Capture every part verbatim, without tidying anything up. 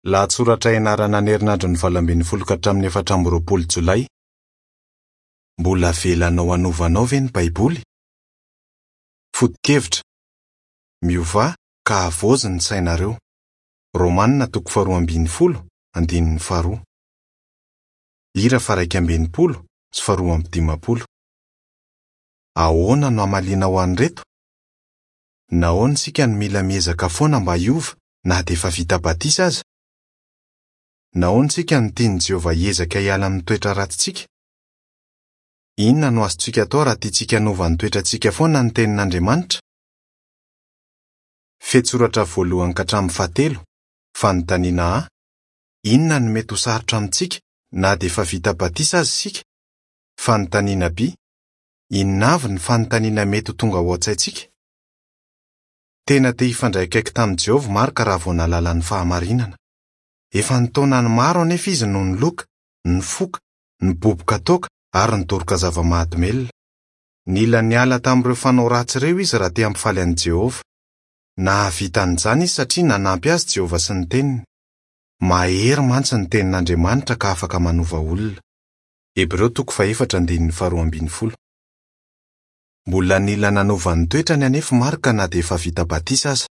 Lahatsoratra ianarana ny herinandron'ny valo ambin'ny folo ka hatramin'ny efatra amby roapolo Jolay. Mbola avelanao hanova anao ve ny Baiboly? Foto-kevitra: Miovà ka havaozy ny sainareo. Romanina toko faharoa ambin'ny folo, andininy faharoa. Hira faha-iraika amby enimpolo sy faharoa amby dimampolo. Ahoana no hamalianao an'ireto? Nahoana isika no mila miezaka foana mba hiova na dia efa vita batisa aza? Nahoana isika no tian'i Jehovah hiezaka hiala amin'ny toetra ratsintsika? Inona no azontsika atao raha tiantsika hanova ny toetrantsika foana ny tenin'Andriamanitra? Fehintsoratra voalohany ka hatramin'ny fahatelo, fanontaniana A: Inona no mety ho sarotra amintsika na dia efa vita batisa aza isika? Fanontaniana B: Inona avy ny fanontaniana mety ho tonga ao an-tsaintsika? Tena te hifandray akaiky tamin'i Jehovah Marc raha vao nahalala ny fahamarinana. Efa nitaonany maro anefa izy no niloka, nifoka, niboboka toaka ary nidoroka zava-mahadomelina. Nila niala tamin'ireo fanao ratsy ireo izy raha te hampifaly an'i Jehovah. Nahavita an'izany izy satria nanampy azy Jehovah sy ny teniny. Mahery mantsy ny tenin'Andriamanitra ka afaka manova olona. Hebreo toko fahefatra andininy faharoa ambin'ny folo. Mbola nila nanova ny toetrany anefa Marc na dia efa vita batisa aza.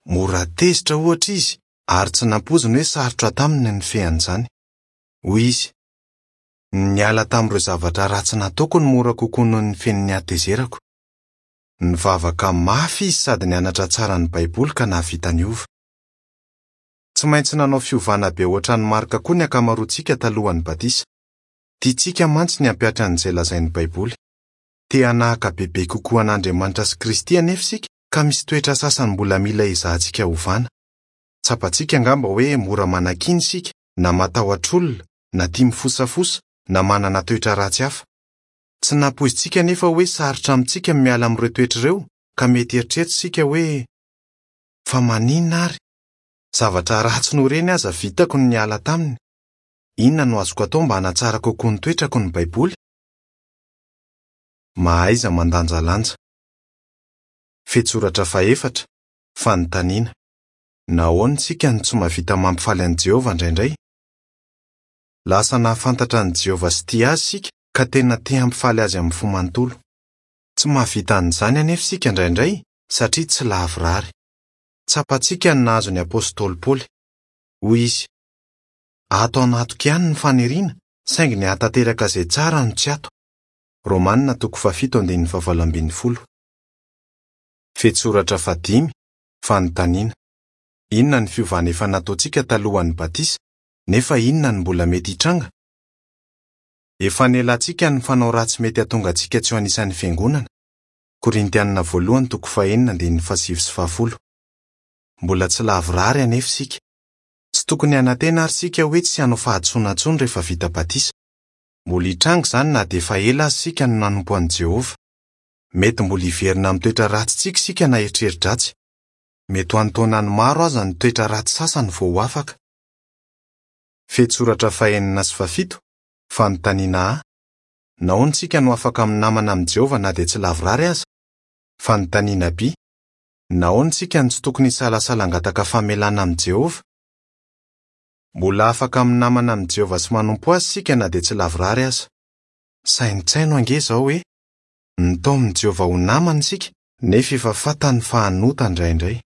Mora tezitra ohatra izy ary tsy nampoiziny hoe sarotra taminy ny nifehy Hoy izy: Niala tamin'ireo zavatra ratsy nataoko no mora kokoa noho ny nifehy ny hatezerako. Nivavaka mafy izy sady nianatra tsara ny Baiboly ka nahavita niova. Tsy maintsy nanao fiovana be ohatran'i Marc koa ny ankamaroantsika talohan'ny batisa. Tiantsika mantsy ny hampihatra an'izay lazain'ny Baiboly. Te hanahaka bebe kokoa an'Andriamanitra sy Kristy anefa isika ka misy toetra sasany mbola mila ezahantsika ovana. Tsapantsika angamba hoe mora manakiana isika, na matahotra olona, na tia mifosafosa, na manana toetra ratsy hafa. Tsy nampoizintsika anefa hoe sarotra amintsika ny miala amin'ireo toetra ireo ka mety hieritreritra isika hoe fa maninona ary? Zavatra ratsy noho ireny aza vitako ny niala taminy. Inona no azoko atao mba hanatsara kokoa ny toetrako ny Baiboly? Mahaiza mandanjalanja. Fehintsoratra fahefatra, fanontaniana. Nahoana isika no tsy mahavita mampifaly an'i Jehovah indraindray? Lasa nahafantatra an'i Jehovah sy tia azy isika ka tena te hampifaly azy amin'ny fo manontolo. Tsy mahavita an'izany anefa isika indraindray satria tsy lavorary. Tsapantsika ny nahazo ny apostoly Paoly. Hoy izy: Ato anatiko ihany ny faniriana, saingy ny hahatanteraka izay tsara no tsy ato. Romanina toko fahafito andininy fahavalo ambin'ny folo. Fehintsoratra fahadimy, fanontaniana. Inona ny fiovana efa nataontsika talohan'ny batisa, nefa inona no mbola mety hitranga? Efa nialantsika ny fanao ratsy mety hahatonga antsika tsy ho anisan'ny fiangonana. Korintianina voalohany toko fahenina andininy fahasivy sy fahafolo. Mbola tsy lavorary anefa isika. Tsy tokony hanantena ary isika hoe tsy hanao fahadisoana intsony rehefa vita batisa. Mbola hitranga izany na dia efa ela aza isika no nanompo an'i Jehovah. Mety mbola hiverina amin'ny toetra ratsintsika isika na eritreri-dratsy. Mety ho an-taonany maro aza ny toetra ratsy sasany vao ho afaka. Fehintsoratra fahenina sy fahafito, fanontaniana A: Nahoana isika no afaka minamana amin'i Jehovah na dia tsy lavorary aza? Fanontaniana B: Nahoana isika no tsy tokony hisalasala hangataka famelana amin'i Jehovah? Mbola afaka minamana amin'i Jehovah sy manompo azy isika na dia tsy lavorary aza. Saintsaino ange izao hoe nitaomin'i Jehovah ho namana isika nefa efa fantany fa hanota indraindray.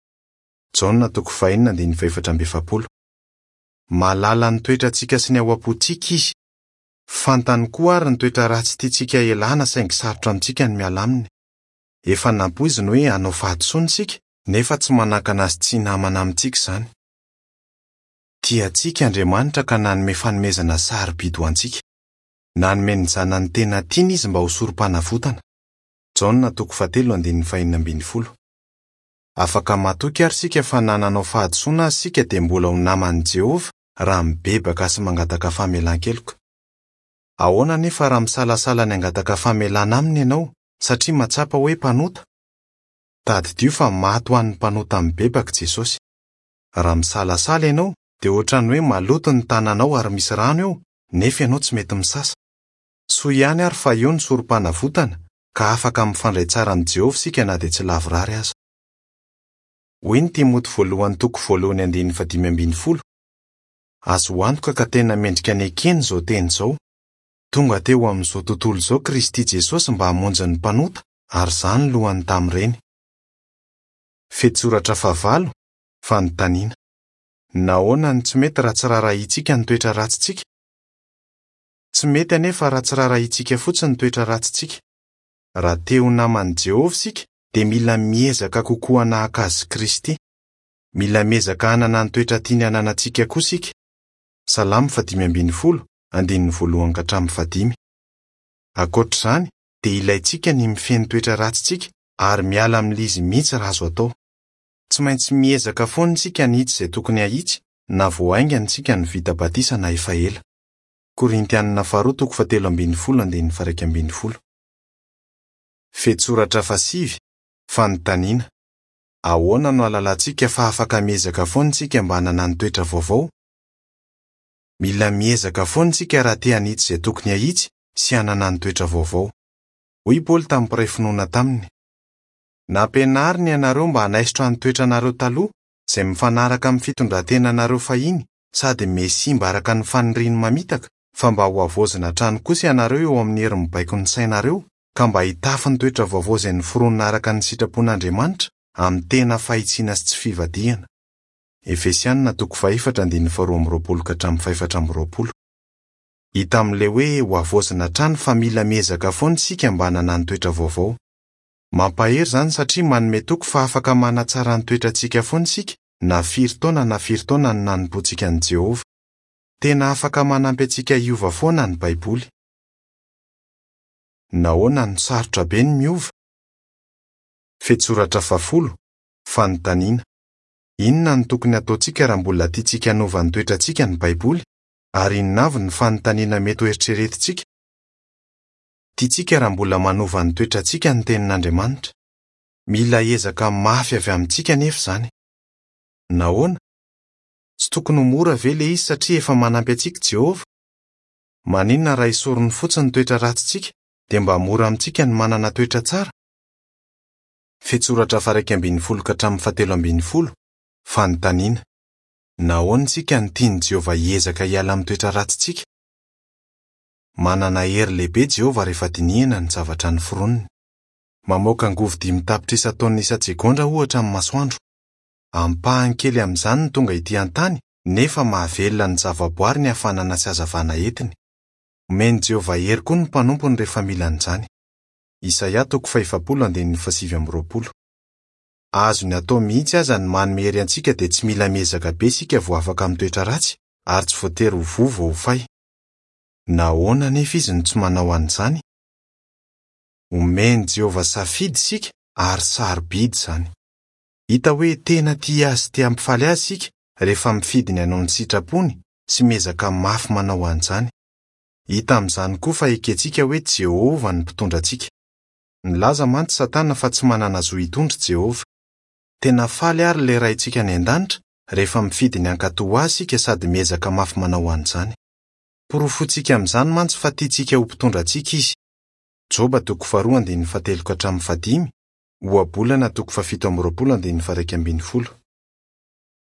Jaona toko fahenina andininy fahefatra amby efapolo. Mahalala ny toetrantsika sy ny ao am-pontsika izy. Fantany koa ary ny toetra ratsy tiantsika hialana saingy sarotra amintsika ny miala aminy. Efa nampoiziny hoe hanao fahadisoana isika nefa tsy manakana azy tsy hinamana amintsika izany. Tia antsika Andriamanitra ka nanome fanomezana sarobidy ho antsika. Nanome ny zanany tena tiany izy mba ho sorom-panavotana. Jaona toko fahatelo andininy fahenina ambin'ny folo. Afaka matoky ary isika fa na nanao fahadisoana aza isika dia mbola ho naman'i Jehovah raha mibebaka sy mangataka famelan-keloka. Ahoana anefa raha misalasala ny hangataka famelana aminy ianao satria mahatsapa hoe mpanota? Tadidio fa maty ho an'ny mpanota mibebaka Jesosy. Raha misalasala ianao dia ohatran'ny hoe maloto ny tananao ary misy rano eo nefa ianao tsy mety misasa. Soa ihany ary fa eo ny sorom-panavotana ka afaka mifandray tsara amin'i Jehovah isika na dia tsy lavorary aza. Hoy ny Timoty voalohany toko voalohany andininy fahadimy ambin'ny folo: Azo antoka ka tena mendrika ny ekena izao teny izao. Tonga teo amin'izao tontolo izao Kristy Jesosy mba hamonjy ny mpanota, ary izany lohany tamin'ireny. Fehintsoratra fahavalo, fanontaniana. Nahoana no tsy mety raha tsy raharahiantsika ny toetra ratsintsika? Tsy mety anefa raha tsy raharahiantsika fotsiny ny toetra ratsintsika. Raha te ho naman'i Jehovah isika, dia mila miezaka kokoa hanahaka azy Kristy. Mila miezaka hanana ny toetra tiany hananantsika koa isika. Salamo fahadimy ambin'ny folo, andininy voalohany ka hatramin'ny fahadimy. Ankoatra izany, dia ilaintsika ny mifehy ny toetra ratsintsika ary miala amin'ilay izy mihitsy raha azo atao. Tsy maintsy miezaka foana isika hanitsy izay tokony hahitsy na vao haingana isika no vita batisa na efa ela. Korintianina faharoa toko fahatelo ambin'ny folo andininy faha-iraika ambin'ny folo. Fehintsoratra fahasivy, fanontaniana. Ahoana no ahalalantsika fa afaka miezaka foana isika mba hanana ny toetra vaovao? Mila miezaka foana isika raha te hanitsy izay tokony hahitsy sy hanana ny toetra vaovao. Hoy Paoly tamin'ny mpiray finoana taminy: Nampianariny ianareo mba hanaisotra ny toetranareo taloha izay mifanaraka amin'ny fitondran-tenanareo fahiny sady mihasimba araka ny faniriany mamitaka, fa mba ho havaozina hatrany kosa ianareo eo amin'ny hery mibaiko ny sainareo, ka mba hitafy ny toetra vaovao izay noforonina araka ny sitrapon'Andriamanitra amin'ny tena fahitsiana sy tsy fivadihana. Efesianina toko fahefatra andininy faharoa amby roapolo ka hatramin'ny fahefatra amby roapolo. Hita amin'ilay hoe ho havaozina hatrany fa mila miezaka foana isika mba hanana ny toetra vaovao. Mampahery izany satria manome toky fa afaka manatsara ny toetrantsika foana isika na firy taona na firy taona no nanompoantsika an'i Jehovah. Tena afaka manampy antsika hiova foana ny Baiboly. Nahoana no sarotra be ny miova? Fehintsoratra fahafolo, fanontaniana. Inona no tokony hataontsika raha mbola tiantsika hanova ny toetrantsika ny Baiboly, ary inona avy ny fanontaniana mety ho eritreretintsika? Tiantsika raha mbola manova ny toetrantsika ny tenin'Andriamanitra. Mila ezaka mafy avy amintsika anefa izany. Nahoana? Tsy tokony ho mora ve ilay izy satria efa manampy antsika Jehovah? Maninona raha esoriny fotsiny ny toetra ratsintsika dia mba mora amintsika ny manana toetra tsara? Fehintsoratra faha-iraika ambin'ny folo ka hatramin'ny fahatelo ambin'ny folo, fanontaniana. Nahoana isika no tian'i Jehovah hiezaka hiala amin'ny toetra ratsintsika? Manana hery lehibe Jehovah rehefa dinihana ny zavatra noforoniny. Mamoaka angovo dimy tapitrisa taonina isan-tsegondra ohatra ny masoandro. Ampahany kely amin'izany no tonga ety an-tany nefa mahavelona ny zavaboary ny hafanana sy hazavana entiny. Omen'i Jehovah hery koa ny mpanompony rehefa mila an'izany. Isaia toko fahefapolo andininy fahasivy amby roapolo. Azony atao mihitsy aza ny manome hery antsika dia tsy mila miezaka be isika vao afaka amin'ny toetra ratsy ary tsy voatery ho voa vao ho fay. Nahoana anefa izy no tsy manao an'izany? Omen'i Jehovah safidy isika ary sarobidy izany. Hita hoe tena tia azy sy te hampifaly azy isika rehefa mifidy ny hanao ny sitrapony sy miezaka mafy manao an'izany. Hita amin'izany koa fa ekentsika hoe Jehovah no mpitondra antsika. Nilaza mantsy Satana fa tsy manana zo hitondra Jehovah. Tena faly ary ilay Raintsika any an-danitra rehefa mifidy ny hankatò azy isika sady miezaka mafy manao an'izany. Porofointsika amin'izany mantsy fa tiantsika ho mpitondra antsika izy. Joba toko faharoa andininy fahatelo ka hatramin'ny fahadimy, Ohabolana toko fahafito amby roapolo andininy faha-iraika ambin'ny folo.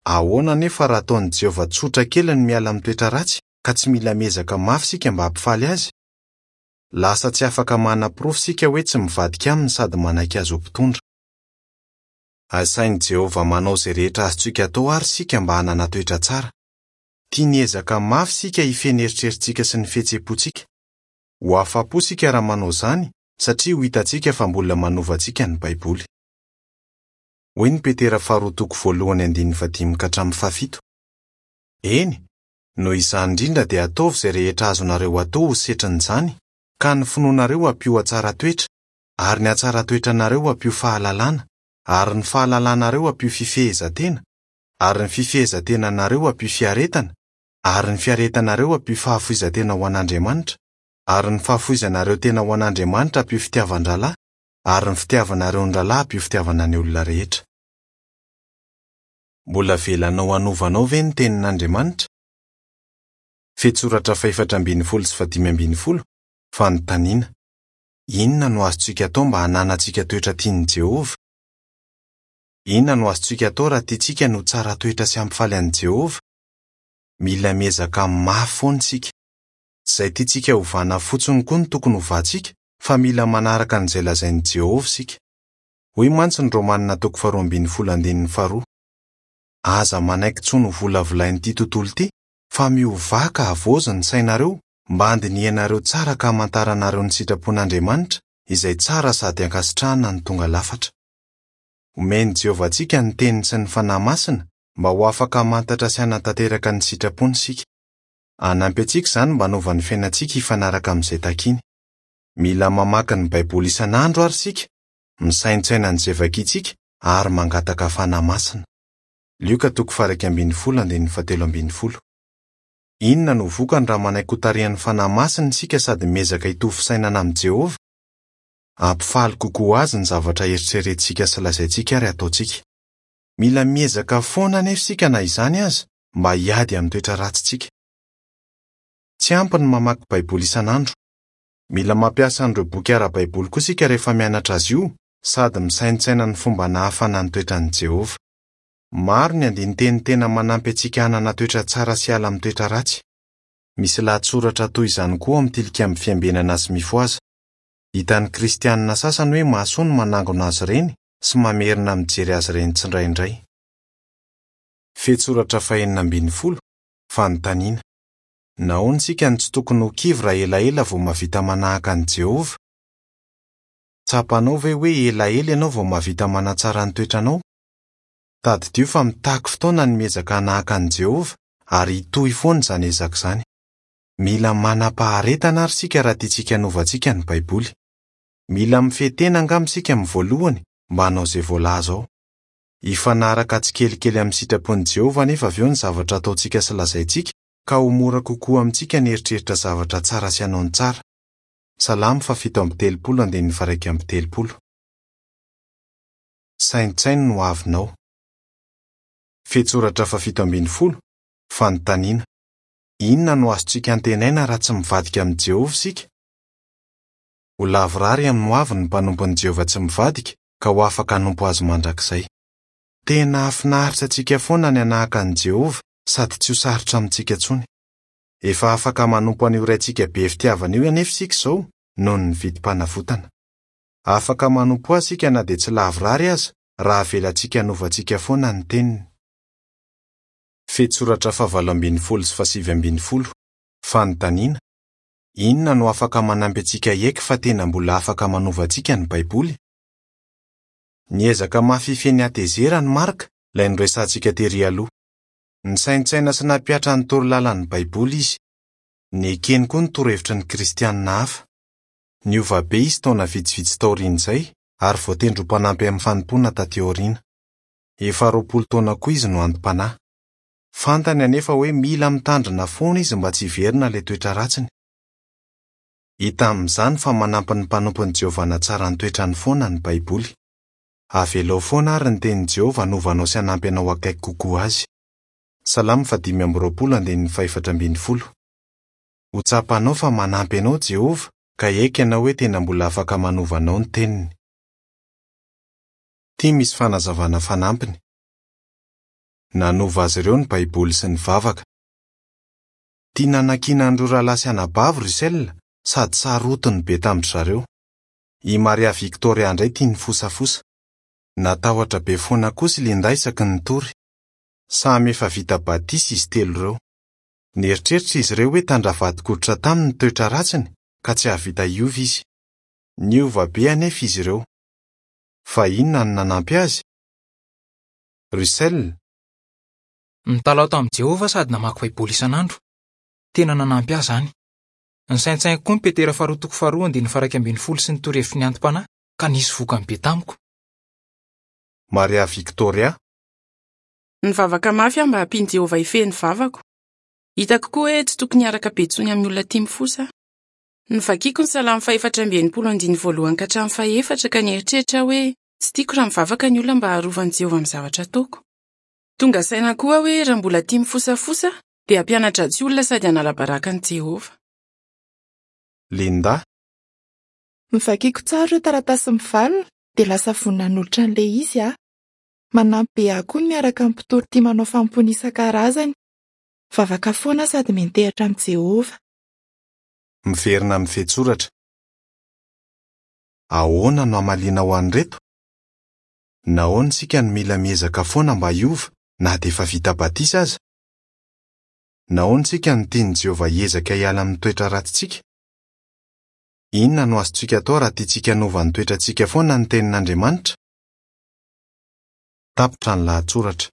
Ahoana anefa raha ataon'i Jehovah tsotra kely ny miala amin'ny toetra ratsy ka tsy mila miezaka mafy isika mba hampifaly azy? Lasa tsy afaka manaporofo isika hoe tsy mivadika aminy sady manaiky azy ho mpitondra. Asain'i Jehovah manao izay rehetra azontsika atao ary isika mba hanana toetra tsara. Tiany ezaka mafy isika hifehy ny eritreritsika sy ny fihetseham-pontsika. Ho afa-po isika raha manao izany satria ho hitantsika fa mbola manova antsika ny Baiboly. Hoy ny Petera faharoa toko voalohany andininy fahadimy ka hatramin'ny fahafito. Eny, noho izany indrindra dia ataovy izay rehetra azonareo atao ho setrin'izany, ka ny finoanareo ampio hatsara toetra, ary ny hatsara toetranareo ampio fahalalana, ary ny fahalalanareo ampio fifehezan-tena, ary ny fifehezan-tenanareo ampio fiaretana, ary ny fiaretanareo ampio fahafoizan-tena ho an'Andriamanitra, ary ny fahafoizanareo tena ho an'Andriamanitra ampio fitiavan-drahalahy, ary ny fitiavanareo ny rahalahy ampio fitiavana ny olona rehetra. Mbola avelanao hanovanao ve ny tenin'Andriamanitra? Fehintsoratra fahefatra ambin'ny folo sy fahadimy ambin'ny folo, fanontaniana. Inona no azontsika atao mba hananantsika toetra tian'i Jehovah? Inona no azontsika atao raha tiantsika ny ho tsara toetra sy hampifaly an'i Jehovah? Mila miezaka mafy foana isika. Tsy izay tiantsika hovana fotsiny koa no tokony hovantsika, fa mila manaraka an'izay lazain'i Jehovah isika. Hoy mantsy ny Romanina toko faharoa ambin'ny folo andininy faharoa: Aza manaiky intsony ho volavolain'ity tontolo ity, fa miovà ka havaozy ny sainareo mba handinihanareo tsara ka hamantaranareo ny sitrapon'Andriamanitra, izay tsara sady ankasitrahana ny tonga lafatra. Omen'i Jehovah antsika ny teniny sy ny Fanahy Masina mba ho afaka hamantatra sy hanatanteraka ny sitrapony isika. Hanampy antsika izany mba hanova ny fiainantsika hifanaraka amin'izay takiny. Mila mamaky ny Baiboly isan'andro ary isika, misaintsaina an'izay vakintsika ary mangataka Fanahy Masina. Lioka toko faha-iraika ambin'ny folo andininy fahatelo ambin'ny folo. Inona no vokany raha manaiky hotarihan'ny Fanahy Masina isika sady miezaka hitovy fisainana amin'i Jehovah? Hampifaly kokoa azy ny zavatra eritreretintsika sy lazaintsika ary ataontsika. Mila miezaka foana anefa isika na izany aza mba hiady amin'ny toetra ratsintsika. Tsy ampy ny mamaky Baiboly isan'andro. Mila mampiasa an'ireo boky ara-baiboly koa isika rehefa mianatra azy io sady misaintsaina ny fomba nahafana ny toetran'i Jehovah. Maro ny andinin-teny tena manampy antsika hanana toetra tsara sy hiala amin'ny toetra ratsy. Misy lahatsoratra toy izany koa amin'ny Tilikambo Fiambenana sy Mifohaza. Hitan'ny kristianina sasany hoe mahasoa ny manangona azy ireny sy mamerina mijery azy ireny tsindraindray. Fehintsoratra fahenina ambin'ny folo, fanontaniana. Nahoana isika no tsy tokony ho kivy raha elaela vao mahavita manahaka an'i Jehovah? Tsapanao ve hoe elaela ianao vao mahavita manatsara ny toetranao? Tadidio fa mitaky fotoana ny miezaka hanahaka an'i Jehovah ary hitohy foana izany ezaka izany. Mila manam-paharetana ary isika raha tiantsika hanovantsika ny Baiboly. Mila mifehy tena angamba isika amin'ny voalohany mba hanao izay voalaza ao. Hifanaraka tsikelikely amin'ny sitrapon'i Jehovah anefa avy eo ny zavatra ataontsika sy lazaintsika, ka ho mora kokoa amintsika ny eritreritra zavatra tsara sy hanao ny tsara. Salamo fahafito amby telopolo andininy faha-iraika amby telopolo. Saintsaino ny hoavinao. Fehintsoratra fahafito ambin'ny folo, fanontaniana. Inona no azontsika antenaina raha tsy mivadika amin'i Jehovah isika? Ho lavorary amin'ny hoavy ny mpanompon'i Jehovah tsy mivadika ka ho afaka hanompo azy mandrakizay. Tena hahafinaritra antsika foana ny hanahaka an'i Jehovah sady tsy ho sarotra amintsika intsony. Efa afaka manompo an'io Raintsika be fitiavana io anefa isika izao noho ny vidim-panavotana. Afaka manompo azy isika na dia tsy lavorary aza raha avelantsika hanovantsika foana ny teniny. Fehintsoratra fahavalo ambin'ny folo sy fahasivy ambin'ny folo, fanontaniana. Inona no afaka manampy antsika hiaiky fa tena mbola afaka manova antsika ny Baiboly? Niezaka mafy hifehy ny hatezerany Marka, ilay noresahantsika tery aloha. Nisaintsaina sy nampihatra ny torolalan'ny Baiboly izy. Nekeny koa ny torohevitry ny kristianina hafa. Niova be izy taona vitsivitsy taorian'izay ary voatendry ho mpanampy amin'ny fanompoana taty aoriana. Efa roapolo taona koa izy no antom-panahy. Fantany anefa hoe mila mitandrina foana izy mba tsy hiverina ilay toetra ratsiny. Hita amin'izany fa manampy ny mpanompon'i Jehovah hanatsara ny toetrany foana ny Baiboly. Avelao foana ary ny tenin'i Jehovah hanova anao sy hanampy anao akaiky kokoa azy. Salamo fahadimy amby roapolo andininy fahefatra ambin'ny folo. Ho tsapanao fa manampy anao Jehovah ka hiaiky ianao hoe tena mbola afaka manova anao ny teniny. Ity misy fanazavana fanampiny. Nanova azy ireo ny Baiboly sy ny vavaka. Tia nanakiana an'ireo rahalahy sy anabavy Russell sady sarotiny be tamin-dry zareo. I Maria Victoria indray tia nifosafosa. Natahotra be foana kosa i Linda isaky ny nitory. Samy efa vita batisa izy telo ireo. Nieritreritra izy ireo hoe tandravadi-koditra taminy ny toetra ratsiny ka tsy hahavita hiova izy. Niova be anefa izy ireo. Fa inona no nanampy azy? Russell. Nitalaho tamin'i Jehovah sady namaky Baiboly isan'andro. Tena nanampy ahy izany. Nisaintsainiko koa ny Petera faharoa toko faharoa andininy faha-iraika ambin'ny folo sy ny torohevitry ny antom-panahy ka nisy vokany be tamiko. Maria Victoria. Nivavaka mafy aho mba hampian'i Jehovah hifehy ny vavako. Hitako koa hoe tsy tokony hiaraka be intsony amin'ny olona tia mifosa aho. Novakiko ny salamo fahefatra amby enimpolo andininy voalohany ka hatramin'ny fahefatra ka nieritreritra hoe tsy tiako raha mivavaka ny olona mba harovan'i Jehovah amin'ny zavatra ataoko. Tonga saina koa aho hoe raha mbola tia mifosafosa dia hampianatra tsy olona sady hanala baraka an'i Jehovah. Linda. Novakiko tsara ireo taratasy mivalona dia lasa vonona hanolotra an'ilay izy aho. Manampy be ahy koa ny miaraka amin'ny mpitory tia manao fanompoana isan-karazany. Mivavaka foana aho sady miantehitra amin'i Jehovah. Miverina amin'ny fehintsoratra. Ahoana no hamaliana ho an'ireto? Nahoana isika no mila miezaka foana mba hiova na dia efa vita batisa aza? Nahoana isika no tian'i Jehovah hiezaka hiala amin'ny toetra ratsintsika? Inona no azontsika atao raha tiantsika hanova ny toetrantsika foana ny tenin'Andriamanitra? Tapitra ny lahatsoratra.